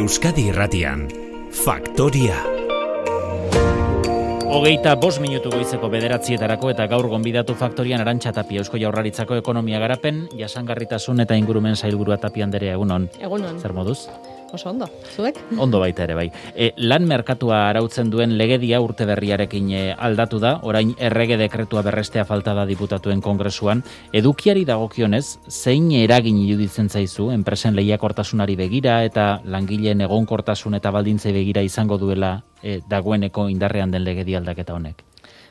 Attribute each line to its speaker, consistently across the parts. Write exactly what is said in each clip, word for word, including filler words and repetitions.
Speaker 1: Euskadi Irratian, Faktoria.
Speaker 2: Hogeita bost minutu goizeko bederatzietarako eta gaur gonbidatu Faktorian Arantxa Tapia, Eusko Jaurlaritzako ekonomia garapen, jasangarritasun eta ingurumen sailburua Tapia Anderea, egunon.
Speaker 3: Egunon.
Speaker 2: Zer moduz?
Speaker 3: Oso ondo, zuek?
Speaker 2: Ondo baita ere, bai. E, lan merkatua arautzen duen legedia urte berriarekin e, aldatu da, orain errege dekretua berrestea falta da diputatuen kongresuan. Edukiari dagokionez, zein eragin iruditzen zaizu, enpresen lehiakortasunari begira eta langileen egonkortasun eta baldintzei begira izango duela e, dagoeneko indarrean den legedia aldaketa honek?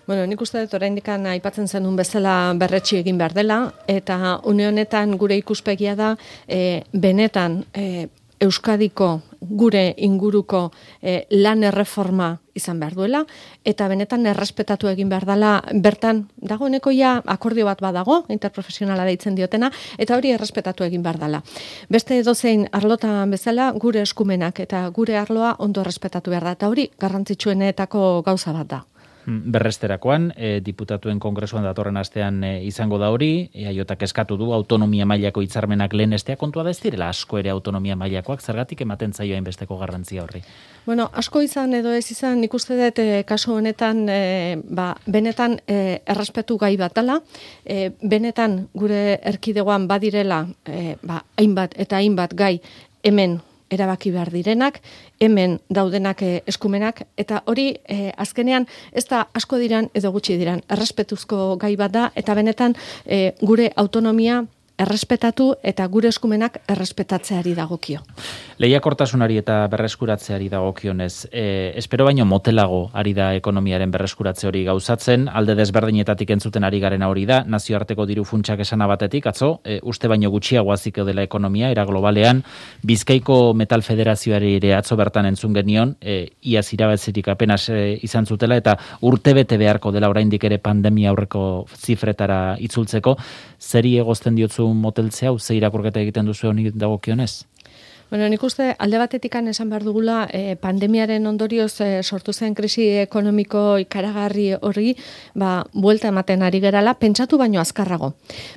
Speaker 3: Bueno, nik uste dut oraindikan aipatzen zenun bezala berretsi egin behar dela, eta une honetan gure ikuspegia da, e, benetan, e, Euskadiko gure inguruko eh, lan erreforma izan behar duela, eta benetan errespetatu egin behar dela, bertan dagoeneko ja akordio bat badago, interprofesionala deitzen diotena, eta hori errespetatu egin behar dela. Beste edozein arlotan bezala, gure eskumenak eta gure arloa ondo errespetatu behar da, eta hori garrantzitsuenetako gauza bat da.
Speaker 2: Berresterakoan, e, diputatuen kongresuan datorren astean e, izango da hori, E A Jak eskatu du autonomia mailako hitzarmenak lehenestea, kontua da ez direla asko ere autonomia mailakoak, zergatik ematen zaio hainbesteko garrantzia horri?
Speaker 3: Bueno, asko izan edo ez izan, nik uste dut e, kasu honetan, e, ba, benetan e, errespetu gai bat dela, e, benetan gure erkidegoan badirela, e, ba, hainbat eta hainbat gai hemen erabaki behar direnak, hemen daudenak eskumenak, eta hori eh, azkenean ez da asko diran edo gutxi diran, errespetuzko gai bat da, eta benetan eh, gure autonomia errespetatu eta gure eskumenak errespetatzeari dagokio.
Speaker 2: Lehiakortasunari eta berreskuratzeari dagokionez, e, espero baino motelago ari da ekonomiaren berreskuratze hori gauzatzen, alde desberdinetatik entzuten ari garena hori da, nazioarteko diru funtsak esana batetik, atzo, e, uste baino gutxiago aziko dela ekonomia, era globalean, Bizkaiko Metal Federazioari ere atzo bertan entzun genion, e, iaz irabetzetik apenas e, izan zutela, eta urtebete beharko dela oraindik ere pandemia aurreko zifretara itzultzeko, zeri egozten diotzu moteltzea, ze irakurketa egiten duzu honi dagokionez?
Speaker 3: Bueno, nik uste alde batetikan esan behar dugula eh, pandemiaren ondorioz eh, sortu zen krisi ekonomiko ikaragarri hori, ba, buelta ematen ari gerala, pentsatu baino azkarrago.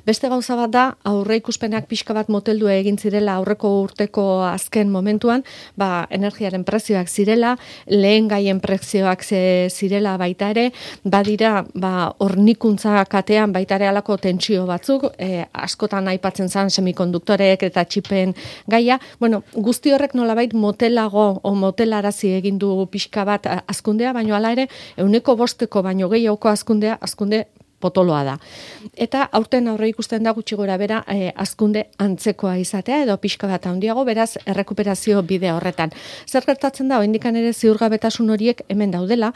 Speaker 3: Beste gauza bat da, aurre ikuspenak pixka bat moteldu egin zirela aurreko urteko azken momentuan, ba, energiaren prezioak zirela, lehen gaien prezioak zirela baita ere, badira, ba, hornikuntza katean baita ere alako tentsio batzuk, eh, askotan aipatzen zen semikonduktorek eta txipen gaia, bueno, guzti horrek nolabait motelago o motelarazi egin du pixka bat hazkundea, baino hala ere ehuneko bosteko baino gehiagoko hazkundea, hazkunde potoloa da. Eta aurten aurre ikusten da gutxi gora bera eh, hazkunde antzekoa izatea edo pixka bat handiago, beraz errekuperazio bide horretan. Zer gertatzen da, oraindikan ere ziurgabetasun horiek hemen daudela,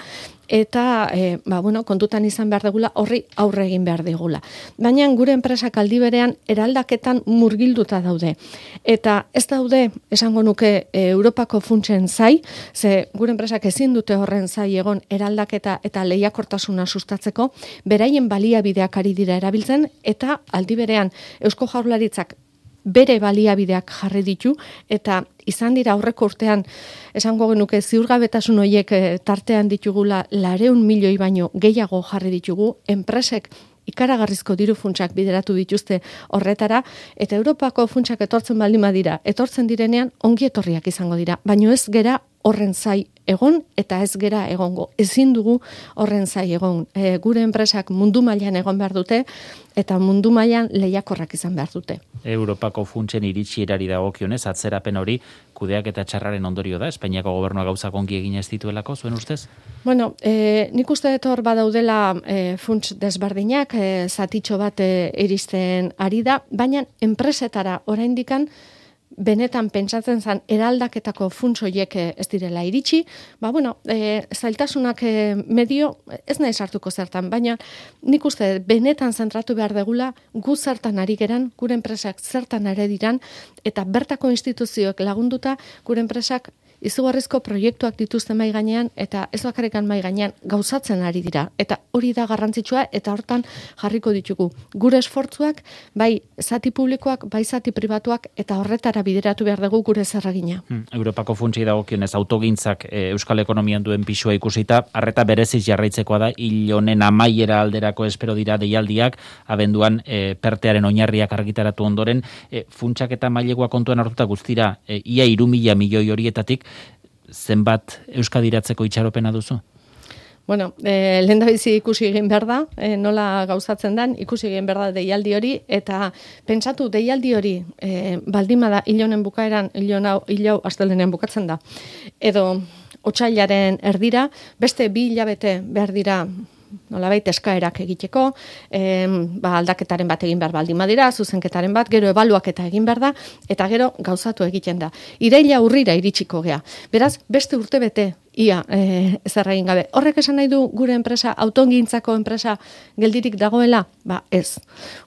Speaker 3: eta e, ba, bueno, kontutan izan behar degula, horri aurre egin behar digula. Baina gure enpresak aldi berean eraldaketan murgilduta daude. Eta ez daude, esango nuke, e, Europako funtsen zai, ze gure enpresak ezin dute horren zai egon eraldaketa eta lehiakortasuna sustatzeko, beraien baliabideak ari dira erabiltzen, eta aldi berean Eusko Jaurlaritzak bere baliabideak jarri ditu, eta izan dira aurreko urtean, esango genuke ziurgabetasun horiek tartean ditugula lareun milioi baino gehiago jarri ditugu, enpresek ikaragarrizko diru funtsak bideratu dituzte horretara, eta Europako funtsak etortzen baldin badira, etortzen direnean ongi etorriak izango dira, baino ez gera horren zai egon eta ez gera egongo. Ezin dugu horren zai egon. E, gure enpresak mundu mailan egon behar dute eta mundu mailan lehiakorrak izan behar dute.
Speaker 2: Europako funtsen iritsierari dagokionez, atzerapen hori kudeak eta txarraren ondorio da, Espainiako gobernua gauzak ongi egin ez dituelako, zuen ustez?
Speaker 3: Bueno, e, nik uste dut hor badaudela e, funts desberdinak, e, zatitxo bat e, iristen ari da, baina enpresetara oraindikan benetan pentsatzen zen eraldaketako funts horiek ez direla iritsi, ba bueno, e, zailtasunak e, medio ez nahi sartuko zertan, baina nik uste benetan zentratu behar degula gu zertan ari geran, gure enpresak zertan ari diran, eta bertako instituzioek lagunduta gure enpresak izugarrizko proiektuak dituzte mai gainean eta ez bakarrikan mai gainean gauzatzen ari dira. Eta hori da garrantzitsua eta hortan jarriko ditugu. Gure esfortzuak, bai zati publikoak, bai zati pribatuak eta horretara bideratu behar dugu gure zerragina.
Speaker 2: Hmm. Europako funtsei dagokionez autogintzak e, euskal ekonomian duen pisua ikusita, arreta bereziz jarraitzekoa da, hil honen amaiera alderako espero dira deialdiak, abenduan e, pertearen oinarriak argitaratu ondoren, e, funtsak eta mailegua kontuan hartuta guztira, e, ia hiru mila milioi horietatik, zenbat euskadiratzeko itxaropena duzu?
Speaker 3: Bueno, eh, lehen da bizi ikusi egin behar da, eh, nola gauzatzen den, ikusi egin behar da deialdi hori, eta pentsatu deialdi hori eh, baldima da hilonen bukaeran, hilon hau, hilau astelenen bukatzen da, edo otsailaren erdira, beste bi hilabete behar dira nolabait eskaerak egiteko, eh, ba, aldaketaren bat egin behar baldin badira, zuzenketaren bat, gero ebaluaketa egin behar da, eta gero gauzatu egiten da. Iraila urrira iritsiko gea. Beraz, beste urte bete, ia e, zer egin gabe. Horrek esan nahi du gure enpresa, autogintzako enpresa geldirik dagoela? Ba, ez.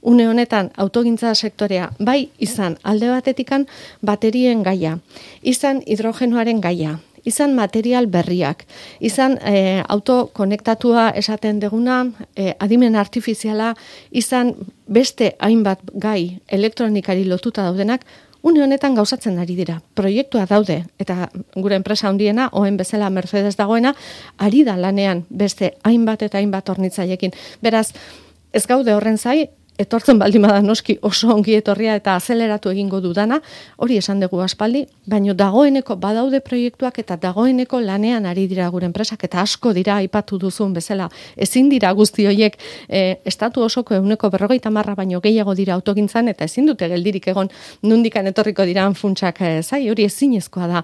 Speaker 3: Une honetan, autogintza sektorea, bai izan alde batetikan baterien gaia, izan hidrogenoaren gaia, izan material berriak, izan e, autokonektatua esaten deguna, e, adimen artifiziala, izan beste hainbat gai elektronikari lotuta daudenak, une honetan gauzatzen ari dira. Proiektua daude, eta gure enpresa handiena, oen bezala Mercedes dagoena, ari da lanean beste hainbat eta hainbat hornitzailekin. Beraz, ez gaude horren zai, etortzen baldin bada noski oso ongi etorria eta azeleratu egingo dudana, hori esan dugu aspaldi, baino dagoeneko badaude proiektuak eta dagoeneko lanean ari dira gure enpresak eta asko dira aipatu duzun bezala. Ezin dira guzti horiek e, estatu osoko ehuneko berrogeita marra baino gehiago dira autogintzan eta ezin dute geldirik egon nundikan etorriko diran funtsak e, zai, hori ezinezkoa da.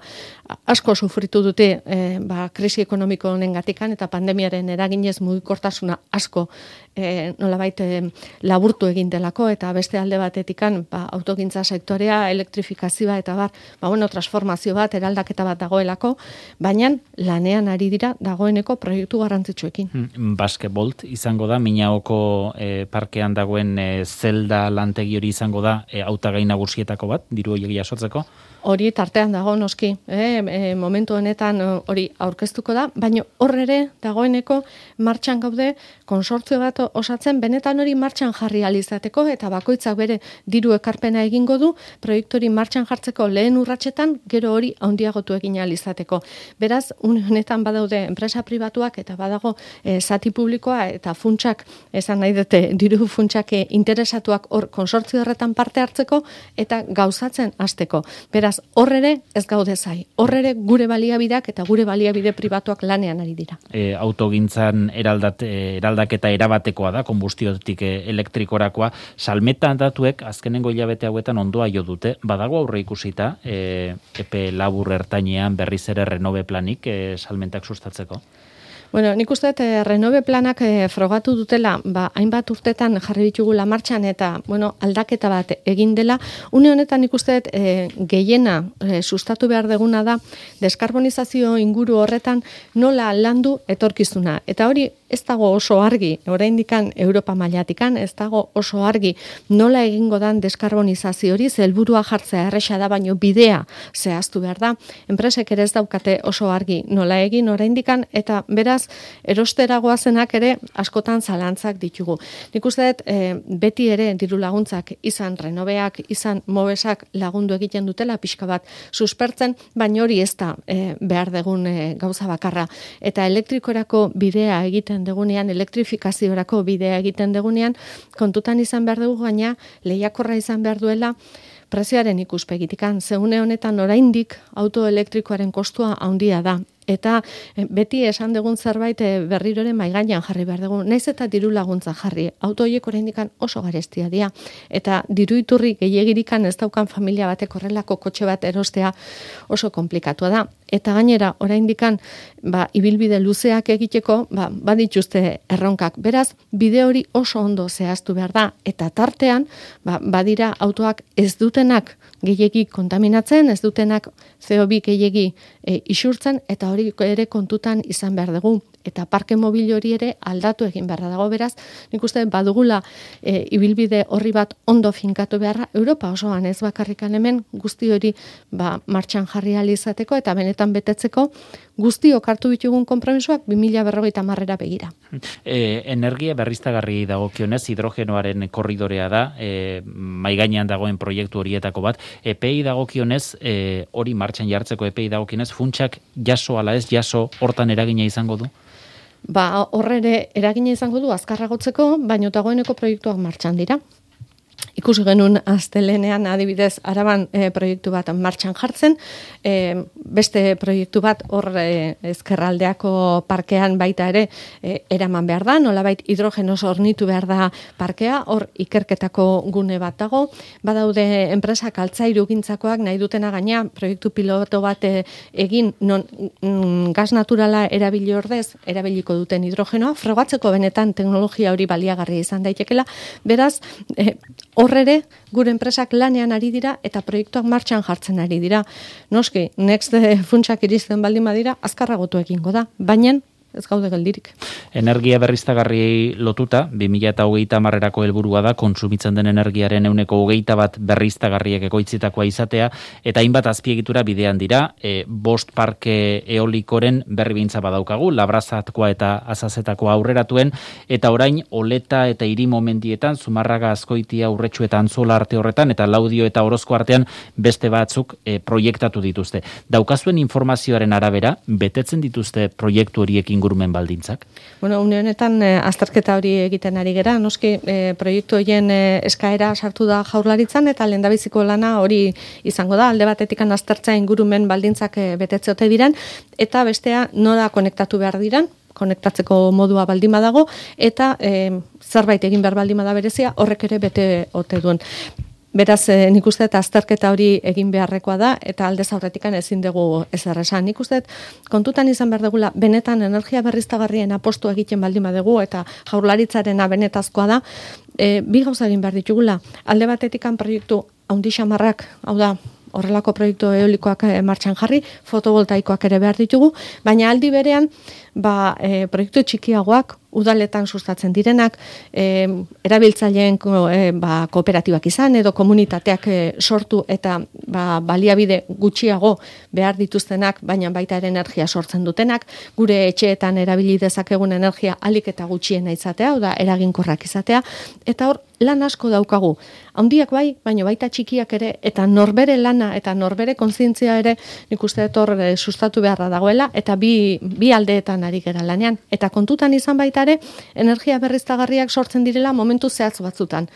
Speaker 3: Asko sufritu dute e, ba, krisi ekonomiko honengatikan eta pandemiaren eraginez mugikortasuna asko e, nolabait e, laburtu egin delako eta beste alde batetikan ba, autogintza sektorea, elektrifikazioa eta bar, ba, bueno, transformazio bat, eraldaketa bat dagoelako, baina lanean ari dira dagoeneko proiektu garrantzitsuekin.
Speaker 2: Hmm, Basketbolt izango da, Minaoko e, parkean dagoen e, zelda lantegi hori izango da e, hautagai nagusietako bat, diru horiek jasotzeko?
Speaker 3: Hori tartean dago noski, eh? E, momentu honetan hori aurkeztuko da, baina hor ere dagoeneko martxan gaude konsortzio bat osatzen, benetan hori martxan jarri alizateko eta bakoitzak bere diru ekarpena egingo du, proiektori martxan jartzeko lehen urratsetan, gero hori handiagotu egin alizateko. Beraz, une honetan badaude enpresa pribatuak eta badago e, zati publikoa eta funtsak, esan nahi dute, diru funtsak interesatuak hor konsortzio horretan parte hartzeko eta gauzatzen hasteko. Beraz, horrere ez gaude zai. Horrere gure baliabideak eta gure baliabide pribatuak lanean ari dira.
Speaker 2: E, autogintzan eraldat, eraldaketa erabatekoa da, konbustiotik elektrikorakoa. Salmeta datuek azkenengo hilabete hauetan ondoa jo dute. Badago aurre ikusita, e, epe labur ertainean berriz ere renove planik e, salmentak sustatzeko?
Speaker 3: Bueno, nik uste eh, renove planak eh, frogatu dutela, ba, hainbat urtetan jarri ditugula martxan eta bueno, aldaketa bat egin dela. Une honetan nik uste eh, gehiena eh, sustatu behar deguna da deskarbonizazio inguru horretan nola landu etorkizuna. Eta hori ez dago oso argi, oraindikan Europa mailatikan, ez dago oso argi nola egingo dan deskarbonizazio hori, helburua jartzea erresa da, baino bidea zehaztu behar da. Enpresek ere ez daukate oso argi nola egin oraindikan eta beraz erosteragoa zenak ere askotan zalantzak ditugu. Nik uste dut e, beti ere diru laguntzak izan renoveak, izan mobesak lagundu egiten dutela pixka bat suspertzen, baina hori ez da e, behar degun e, gauza bakarra. Eta elektrikorako bidea egiten degunean, elektrifikaziorako bidea egiten degunean, kontutan izan behar dugu gaina lehiakorra izan behar duela prezioaren ikuspegitikan. Zegune honetan oraindik auto elektrikoaren kostua handia da. Eta beti esan dugun zerbait berriroren maigainan jarri behar dugu. Naiz eta diru laguntza jarri. Auto horiek oraindikan oso garestia dira. Eta diru iturri gehiagirikan ez daukan familia batek horrelako kotxe bat erostea oso komplikatua da. Eta gainera oraindikan ba, ibilbide luzeak egiteko ba, badituzte erronkak. Beraz, bide hori oso ondo zehaztu behar da. Eta tartean ba, badira autoak ez dutenak gehiegi kontaminatzen, ez dutenak C O bi gehiegi e, isurtzen, eta hori ere kontutan izan behar dugu. eta parke mobil hori ere aldatu egin beharra dago. Beraz, nik uste badugula e, ibilbide horri bat ondo finkatu beharra, Europa osoan ez bakarrikan hemen guzti hori ba, martxan jarri ahal izateko eta benetan betetzeko guztiok hartu ditugun konpromisoak bi mila berrogeita hamarera begira.
Speaker 2: E, energia berriztagarri dagokionez, hidrogenoaren korridorea da, e, mai gainean dagoen proiektu horietako bat. Epei dagokionez, e, hori martxan jartzeko epei dagokionez, funtsak jaso ala ez jaso hortan eragina izango du?
Speaker 3: Ba, horre eragina izango du azkarragotzeko, baino dagoeneko proiektuak martxan dira. Ikusi genuen astelenean adibidez Araban e, proiektu bat martxan jartzen, e, beste proiektu bat hor e, ezkerraldeako parkean baita ere e, eraman behar da, nolabait hidrogenoz hornitu behar da parkea, hor ikerketako gune bat dago, badaude enpresak altzairu gintzakoak nahi dutena gaina proiektu piloto bat e, egin non mm, gas naturala erabili ordez, erabiliko duten hidrogenoa, frogatzeko benetan teknologia hori baliagarria izan daitekela, beraz, e, horrere, gure enpresak lanean ari dira eta proiektuak martxan jartzen ari dira. Noski, next funtsak iristen baldin badira, azkarragotu egingo da, baina ez gaude geldirik.
Speaker 2: Energia berriztagarriei lotuta, bi mila hogeita hamarerako helburua da kontsumitzen den energiaren ehuneko hogeita bat berriztagarriek ekoitzitakoa izatea, eta hainbat azpiegitura bidean dira, e, bost parke eolikoren berri bintza badaukagu, Labrazatkoa eta Azazetakoa aurreratuen, eta orain Oleta eta Irimo mendietan, Zumarraga, Azkoitia, Urretxu eta Antzola arte horretan, eta Laudio eta Orozko artean beste batzuk e, proiektatu dituzte. Daukazuen informazioaren arabera, betetzen dituzte proiektu horiekin ingurumen baldintzak?
Speaker 3: Bueno, une honetan eh, azterketa hori egiten ari gera, noski eh, proiektu horien eh, eskaera sartu da Jaurlaritzan eta lehendabiziko lana hori izango da, alde batetikan aztertza ingurumen baldintzak eh, betetze ote diren, eta bestea nora konektatu behar diren, konektatzeko modua baldin badago, eta eh, zerbait egin behar baldin bada berezia, horrek ere bete ote duen. Beraz, eh, nik uste eta azterketa hori egin beharrekoa da, eta aldez aurretikan ezin dugu ezer esan. Nik uste kontutan izan behar dugula, benetan energia berriztagarrien apostu egiten baldin badugu, eta Jaurlaritzarena benetazkoa da, e, bi gauza egin behar ditugula. Alde batetikan proiektu haundi xamarrak, hau da, horrelako proiektu eolikoak martxan jarri, fotovoltaikoak ere behar ditugu, baina aldi berean, ba, e, proiektu txikiagoak, udaletan sustatzen direnak, e, erabiltzaileen e, ba, kooperatibak izan, edo komunitateak e, sortu eta ba, baliabide gutxiago behar dituztenak, baina baita ere energia sortzen dutenak, gure etxeetan erabili dezakegun energia alik eta gutxiena izatea, oda eraginkorrak izatea, eta hor lan asko daukagu. Handiak bai, baina baita txikiak ere, eta norbere lana eta norbere kontzientzia ere nik uste dut hor e, sustatu beharra dagoela, eta bi, bi aldeetan ari gera lanean. Eta kontutan izan baita ere, energia berriztagarriak sortzen direla momentu zehatz batzutan.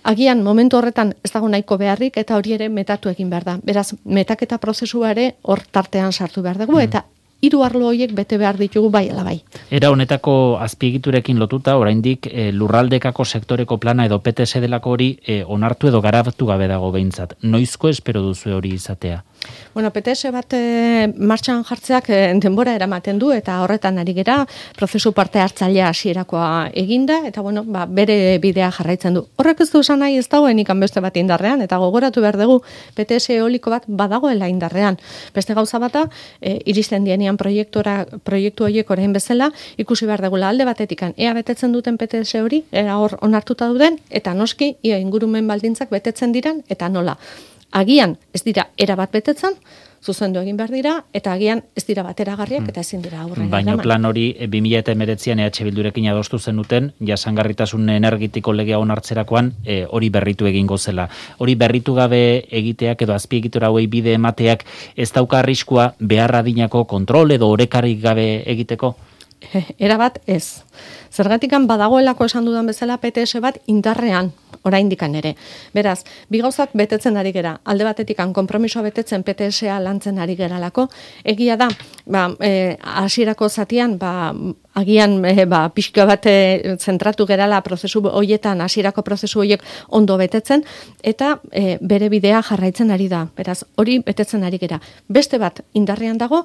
Speaker 3: Agian momentu horretan ez dago nahiko beharrik eta hori ere metatu egin behar da. Beraz, metaketa prozesua ere hor tartean sartu behar dugu, eta hiru arlo horiek bete behar ditugu bai ala bai.
Speaker 2: Era honetako azpiegiturekin lotuta, oraindik e, lurraldekako sektoreko plana edo P T S delako hori e, onartu edo garatu gabe dago behintzat. Noizko espero duzu hori izatea?
Speaker 3: Bueno, P T S bat e, martxan jartzeak e, denbora eramaten du eta horretan ari gera, prozesu parte hartzailea hasierakoa eginda eta bueno, ba, bere bidea jarraitzen du. Horrek ez du esan nahi ez dagoen ikan beste bat indarrean eta gogoratu behar dugu P T S eoliko bat badagoela indarrean. Beste gauza bata, e, iristen dienean proiektura proiektu horiek orain bezala ikusi behar dugula alde batetikan ea betetzen duten P T S hori, ea hor onartuta duten eta noski ia ingurumen baldintzak betetzen diren eta nola. Agian ez dira erabat betetzen, zuzendu egin behar dira, eta agian ez dira bateragarriak eta ezin dira aurrera.
Speaker 2: Baina plan hori bi mila hemeretzian E H Bildurekin adostu zenuten, jasangarritasun energetiko legea onartzerakoan e, hori berritu egingo zela. Hori berritu gabe egiteak edo azpiegitura hauei bide emateak ez dauka arriskua behar adinako kontrol edo orekarik gabe egiteko?
Speaker 3: Erabat ez. Zergatikan badagoelako esan dudan bezala P T S bat indarrean, oraindikan ere. Beraz, bi gauzak betetzen ari gera. Alde batetikan konpromisoa betetzen P T S-a lantzen ari geralako. Egia da, ba, e, hasierako zatian, ba, agian e, ba, pixka bat e, zentratu gerala prozesu hoietan, hasierako prozesu hoiek ondo betetzen, eta e, bere bidea jarraitzen ari da. Beraz, hori betetzen ari gera. Beste bat indarrean dago,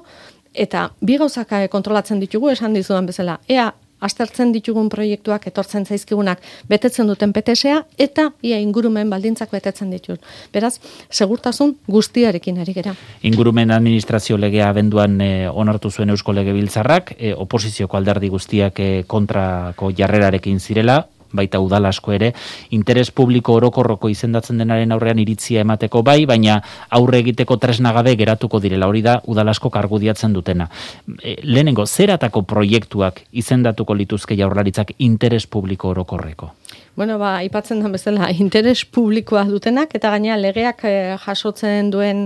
Speaker 3: eta bi gauzak kontrolatzen ditugu, esan dizudan bezala, ea aztertzen ditugun proiektuak etortzen zaizkigunak betetzen duten P T S-a eta ia ingurumen baldintzak betetzen ditut. Beraz, segurtasun guztiarekin ari gera.
Speaker 2: Ingurumen administrazio legea abenduan e, onartu zuen Eusko Legebiltzarrak, e, oposizioko alderdi guztiak e, kontrako jarrerarekin zirela, baita udal asko ere, interes publiko orokorroko izendatzen denaren aurrean iritzia emateko bai, baina aurre egiteko tresna gabe geratuko direla, hori da udal asko argudiatzen dutena. E, lehenengo, zeratako proiektuak izendatuko lituzke Jaurlaritzak interes publiko orokorreko?
Speaker 3: Bueno, ba, aipatzen da bezala, interes publikoa dutenak, eta gainera legeak eh, jasotzen duen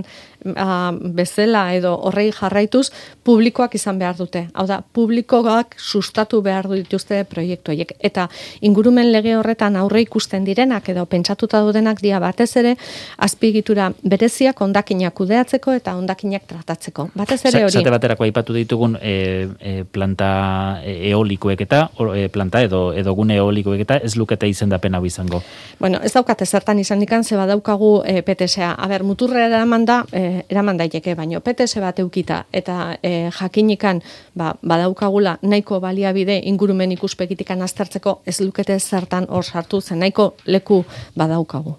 Speaker 3: ah, bezala edo horrei jarraituz, publikoak izan behar dute. Hau da, publikoak sustatu behar dituzte proiektu horiek. Eta ingurumen lege horretan aurre ikusten direnak edo pentsatuta dutenak dia batez ere, azpiegitura bereziak hondakinak kudeatzeko eta hondakinak tratatzeko. Batez ere hori.
Speaker 2: Zate baterako aipatu ditugun e, e, planta eolikoek eta, e, planta edo, edo gune eolikoek eta ez lukete izendapen hau izango.
Speaker 3: Bueno, ez daukate zertan izan ikan, ze badaukagu e, P T S-a. A ber, muturra eraman da, e, eraman daiteke, baino P T S bat eukita eta e, jakinikan ba, badaukagula nahiko baliabide ingurumen ikuspegitikan aztertzeko ez lukete zertan hor sartu, zen nahiko leku badaukagu.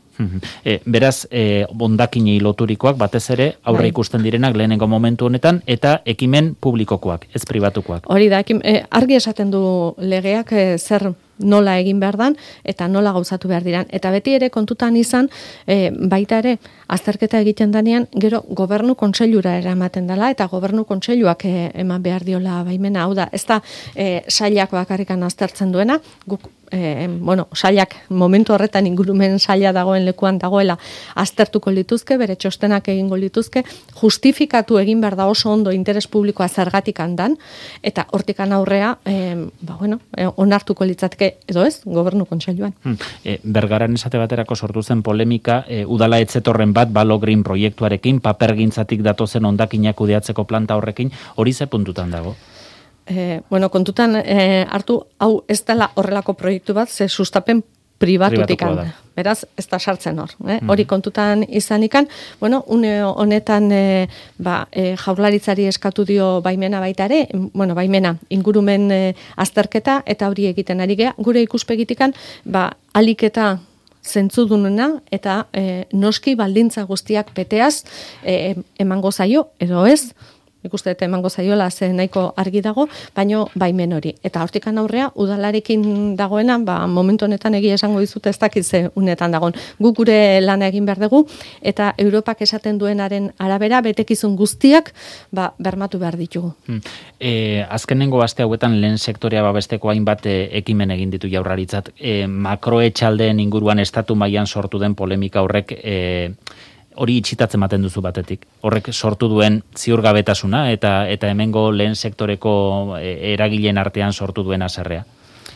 Speaker 2: E, beraz, e, bondakinei loturikoak batez ere aurre ikusten direnak lehenengo momentu honetan eta ekimen publikokoak, ez pribatukoak.
Speaker 3: Hori da, ekim, e, argi esaten du legeak e, zer nola egin behar dan eta nola gauzatu behar diran. Eta beti ere kontutan izan, e, baita ere, azterketa egiten danean, gero gobernu kontseilura eramaten dela eta gobernu kontseiluak e, eman behar diola baimena. Hau da, ez da e, sailak bakarrikan aztertzen duena, guk E, bueno, sailak momentu horretan ingurumen saila dagoen lekuan dagoela aztertuko lituzke, bere txostenak egingo lituzke, justifikatu egin behar da oso ondo interes publikoa zergatik handan, eta hortikan aurrea, e, ba, bueno, e, onartuko litzateke edo ez, gobernu kontseiluan.
Speaker 2: Hmm. E, Bergaran esate baterako sortu zen polemika, e, udala etzetorren bat Balo Green proiektuarekin, papergintzatik datozen hondakinak kudeatzeko planta horrekin, hori ze puntutan dago?
Speaker 3: Eh, bueno, kontutan eh, hartu, hau ez dela horrelako proiektu bat, ze sustapen pribatutikan. Beraz, ez da sartzen hor. Eh? Mm. Hori kontutan izanikan, bueno, une honetan eh, ba, eh, Jaurlaritzari eskatu dio baimena baita ere, bueno, baimena ingurumen eh, azterketa eta hori egiten ari gea, gure ikuspegitikan, ba, aliketa zentzudunena eta eh, noski baldintza guztiak beteaz eh, emango zaio, edo ez, ikuste eta emango zaiola ze nahiko argi dago, baino baimen hori. Eta hortikan aurrea, udalarekin dagoena, ba, momentu honetan egia esango dizute ez dakit ze unetan dagoen. Guk gure lana egin behar dugu, eta Europak esaten duenaren arabera, betekizun guztiak ba, bermatu behar ditugu.
Speaker 2: Hmm. E, azkenengo aste hauetan lehen sektorea babesteko hainbat e, ekimen egin ditu Jaurlaritzak. E, makroetxaldeen inguruan estatu mailan sortu den polemika horrek e, hori itxitatzen ematen duzu batetik. Horrek sortu duen ziurgabetasuna eta eta hemengo lehen sektoreko eragileen artean sortu duen haserrea.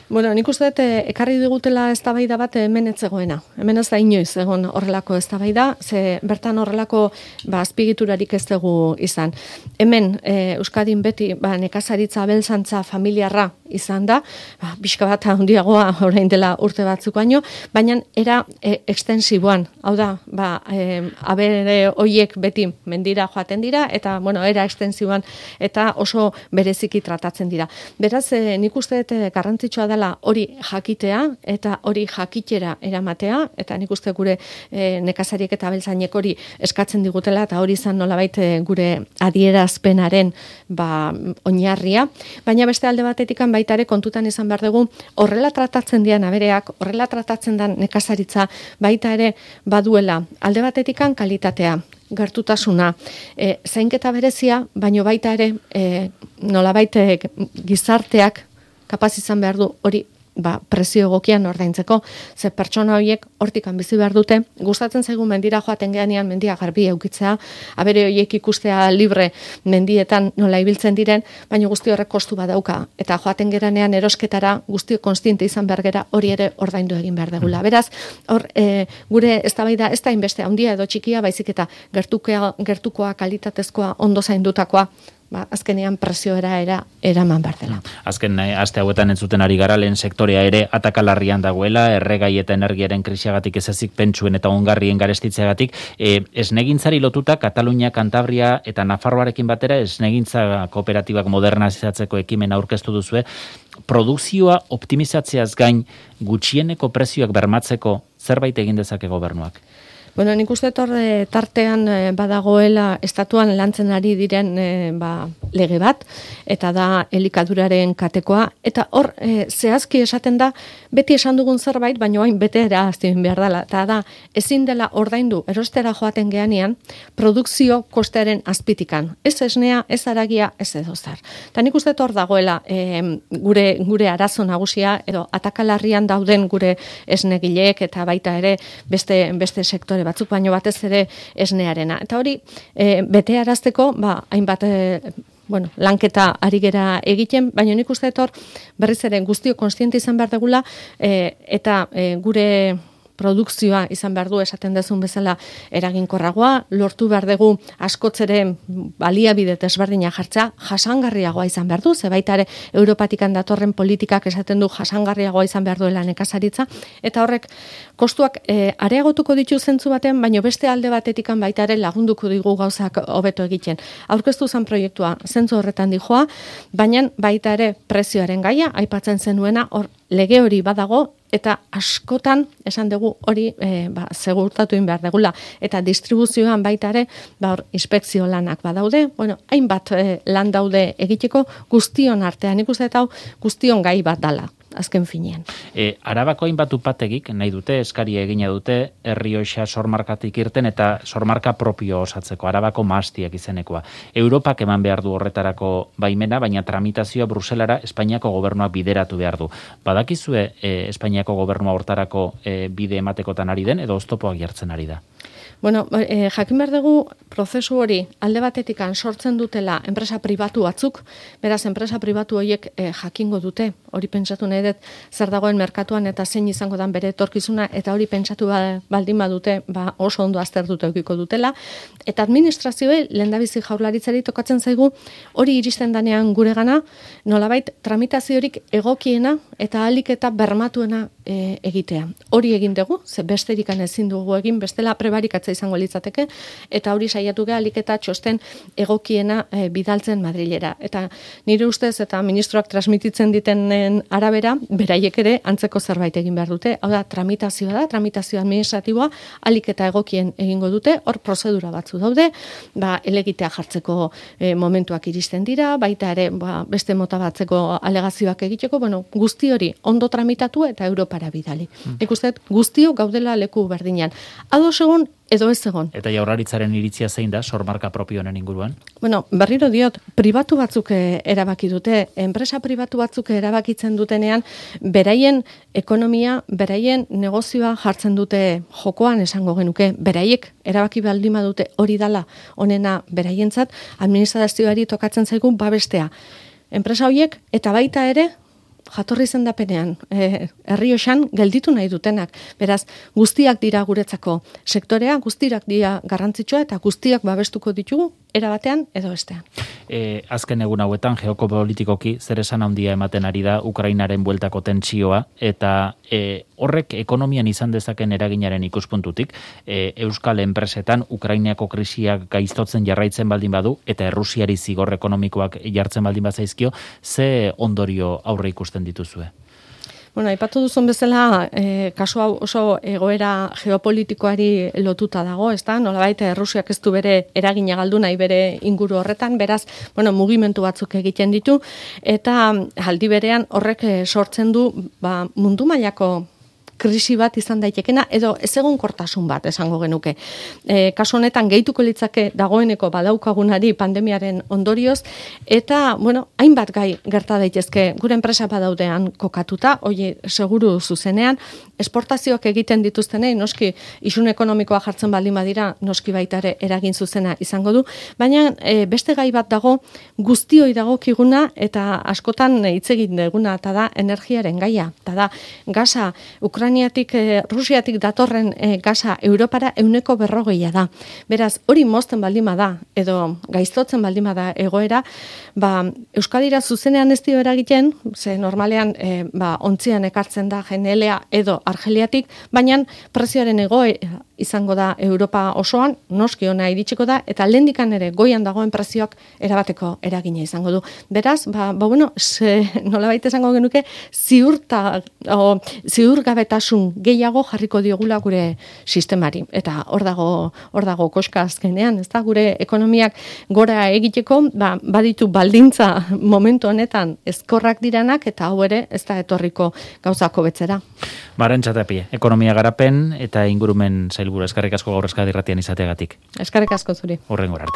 Speaker 3: Bueno, nik uste dut ekarri digutela eztabaida bat hemen ez zegoena. Hemen ez da inoiz egon horrelako eztabaida, ze bertan horrelako ba, azpigiturarik ez dugu izan. Hemen e, Euskadin beti ba, nekazaritza abeltzantza familiarra izan da, ba, pixka bat handiagoa orain dela urte batzuk baino, baina era e, ekstensiboan, hau da, ba, e, abere hoiek beti mendira joaten dira, eta bueno, era ekstensiboan eta oso bereziki tratatzen dira. Beraz, e, nik uste dut garrantzitsua da hori jakitea eta hori jakitera eramatea, eta nik uste gure e, nekazariek eta abeltzainek hori eskatzen digutela, eta hori izan nolabait e, gure adierazpenaren ba, oinarria, baina beste alde batetikan baita ere kontutan izan behar dugu, horrela tratatzen dian abereak, horrela tratatzen den nekazaritza baita ere baduela alde batetikan kalitatea, gertutasuna, e, zainketa berezia, baino baita ere e, nolabait e, gizarteak kapaz izan behar du hori ba, presio egokian ordaintzeko, ze pertsona horiek hortikan bizi behar dute, gustatzen zaigu mendira joaten geanean mendia garbi eukitzea, abere horiek ikustea libre mendietan nola ibiltzen diren, baina guzti horrek kostu badauka, eta joaten geranean erosketara guzti konstiente izan behar gera hori ere ordaindu egin behar degula. Beraz, hor e, gure eztabaida ez da inbeste handia edo txikia, baizik eta gertukoa, gertukoa kalitatezkoa ondo zaindutakoa ba, azkenean presioera era, eraman behar dela.
Speaker 2: Azken aste hauetan entzuten ari gara, lehen sektorea ere atakalarrian dagoela, erregai eta energiaren krisiagatik ez ezik pentsuen eta ongarrien garestitzeagatik, e, esnegintzari lotuta Katalunia, Kantabria eta Nafarroarekin batera esnegintza kooperatibak modernizatzeko ekimen aurkeztu duzue, produkzioa optimizatzeaz gain gutxieneko prezioak bermatzeko zerbait egin dezake gobernuak?
Speaker 3: Bueno, nik uste torre tartean badagoela estatuan lantzen ari diren e, ba, lege bat, eta da elikaduraren katekoa, eta hor e, zehazki esaten da, beti esan dugun zerbait, baina hain betera azten behar dela, eta da ezin dela ordaindu erostera joaten geanean, produkzio kostearen azpitikan. Ez esnea, ez aragia, ez edo zer. Eta nik uste hor dagoela e, gure, gure arazo nagusia, edo atakalarrian dauden gure esnegileek, eta baita ere beste, beste sektore batzuk, baino batez ere esnearena. Eta hori, e, bete arazteko, ba, hainbat, e, bueno, lanketa ari gera egiten, baina nik uste etor berriz ere guztio konstiente izan behar degula, e, eta e, gure produkzioa izan behar du esaten dezun bezala eraginkorragoa, lortu behar dugu askotzere baliabide desberdina jartza, jasangarriagoa izan behar du, ze baita ere Europatikan datorren politikak esaten du jasangarriagoa izan behar duela nekazaritza, eta horrek kostuak e, areagotuko ditu zentzu baten, baino beste alde batetikan baita ere lagunduko digu gauzak hobeto egiten. Aurkeztu zen proiektua zentzu horretan dijoa, baina baita ere prezioaren gaia, aipatzen zenuena, hor lege hori badago, eta askotan esan dugu hori e, ba, segurtatu in behar degula, eta distribuzioan baita ere ba, hor, inspekzio lanak badaude, bueno, hainbat e, lan daude egiteko guztion artean, ikusten eta hau guztion gai bat dala. Azken finean.
Speaker 2: E, Arabako hainbat upategik nahi dute, eskaria egina dute, Errioxa sormarkatik irten eta sormarka propio osatzeko, Arabako mahastiak izenekoa. Europak eman behar du horretarako baimena, baina tramitazioa Bruselara Espainiako gobernuak bideratu behar du. Badakizue e, Espainiako gobernua hortarako e, bide ematekotan ari den, edo oztopoak jartzen ari da?
Speaker 3: Bueno, eh, jakin behar dugu prozesu hori alde batetikan sortzen dutela enpresa pribatu batzuk, beraz enpresa pribatu horiek eh, jakingo dute, hori pentsatu nahi dut zer dagoen merkatuan eta zein izango dan bere etorkizuna, eta hori pentsatu baldin badute ba, oso ondo azter dute eukiko dutela, eta administrazioei lehendabizi jaurlaritzari tokatzen zaigu hori iristen danean gure gana, nolabait tramitaziorik egokiena eta ahalik eta bermatuena e, egitea. Hori egin dugu, ze besterikan ezin dugu egin, bestela prebarikatza izango litzateke, eta hori saiatu geha alik eta txosten egokiena e, bidaltzen Madrilera. Eta nire ustez eta ministroak transmititzen ditenen arabera, beraiek ere antzeko zerbait egin behar dute, hau da tramitazioa da, tramitazio administratiboa alik eta egokien egingo dute, hor prozedura batzu daude, ba, elegitea jartzeko e, momentuak iristen dira, baita ere ba, beste mota batzeko alegazioak egiteko, bueno, guzti hori ondo tramitatu eta Europara bidali. Hmm. Ikustet, guztio gaudela leku berdinean. Ados egon, edo ez egon.
Speaker 2: Eta jaurlaritzaren iritzia zein da, sormarka propio honen inguruan?
Speaker 3: Bueno, berriro diot, pribatu batzuk erabaki dute, enpresa pribatu batzuk erabakitzen dutenean, beraien ekonomia, beraien negozioa jartzen dute jokoan esango genuke, beraiek erabaki baldima dute hori dala onena beraientzat, administrazioari tokatzen zaigu babestea. Enpresa horiek eta baita ere, jatorri zendapenean, e, Errioxan gelditu nahi dutenak. Beraz, guztiak dira guretzako sektorea, guztiak dira garrantzitsua eta guztiak babestuko ditugu, era batean edo bestean.
Speaker 2: E, azken egun hauetan, geopolitikoki, zer esan handia ematen ari da Ukrainaren bueltako tentsioa, eta e, horrek ekonomian izan dezaken eraginaren ikuspuntutik, e, Euskal enpresetan Ukrainako krisiak gaiztotzen jarraitzen baldin badu, eta Errusiari zigor ekonomikoak jartzen baldin bazaizkio, ze ondorio aurre ikusten dituzue?
Speaker 3: Bueno, aipatu duzun bezala, eh, kasu hau oso egoera geopolitikoari lotuta dago, ezta? Nolabait Errusiak ez du bere eragina galdu nahi bere inguru horretan, beraz, bueno, mugimendu batzuk egiten ditu, eta aldi berean horrek sortzen du ba, mundu mailako krisi bat izan daitekena, edo ezegonkortasun bat esango genuke. E, kasu honetan gehituko litzake dagoeneko badaukagunari pandemiaren ondorioz, eta, bueno, hainbat gai gerta daitezke gure enpresa badaudean kokatuta, hoi seguru zuzenean, esportazioak egiten dituztenei, noski isun ekonomikoa jartzen baldin badira, noski baita ere eragin zuzena izango du, baina e, beste gai bat dago guztioi dagokiguna eta askotan hitz egin duguna, eta da energiaren gaia, eta da gasa Ukrainiatik, e, Rusiatik datorren e, gasa Europara ehuneko berrogeia da. Beraz, hori mozten baldin bada, edo gaiztotzen baldin bada egoera, ba, Euskadira zuzenean ez dio eragiten, ze normalean e, ba, ontzian ekartzen da genelea edo Argeliatik, baina prezioaren egoe izango da Europa osoan, noski ona iritsiko da, eta lehendikan ere goian dagoen prezioak erabateko eragina izango du. Beraz, ba, ba bueno, nolabait esango genuke, ziurta, o, ziurgabetasun gehiago jarriko diogula gure sistemari. Eta hor dago, hor dago koska azkenean, ez da, gure ekonomiak gora egiteko, ba, baditu baldintza momentu honetan ezkorrak diranak, eta hau ere ez da etorriko gauzako betzera.
Speaker 2: Arantxa Tapia, ekonomia garapen eta ingurumen sailburu, eskerrik asko gaur Euskadi Irratian izateagatik.
Speaker 3: Eskerrik asko zuri.
Speaker 2: Hurrengora arte.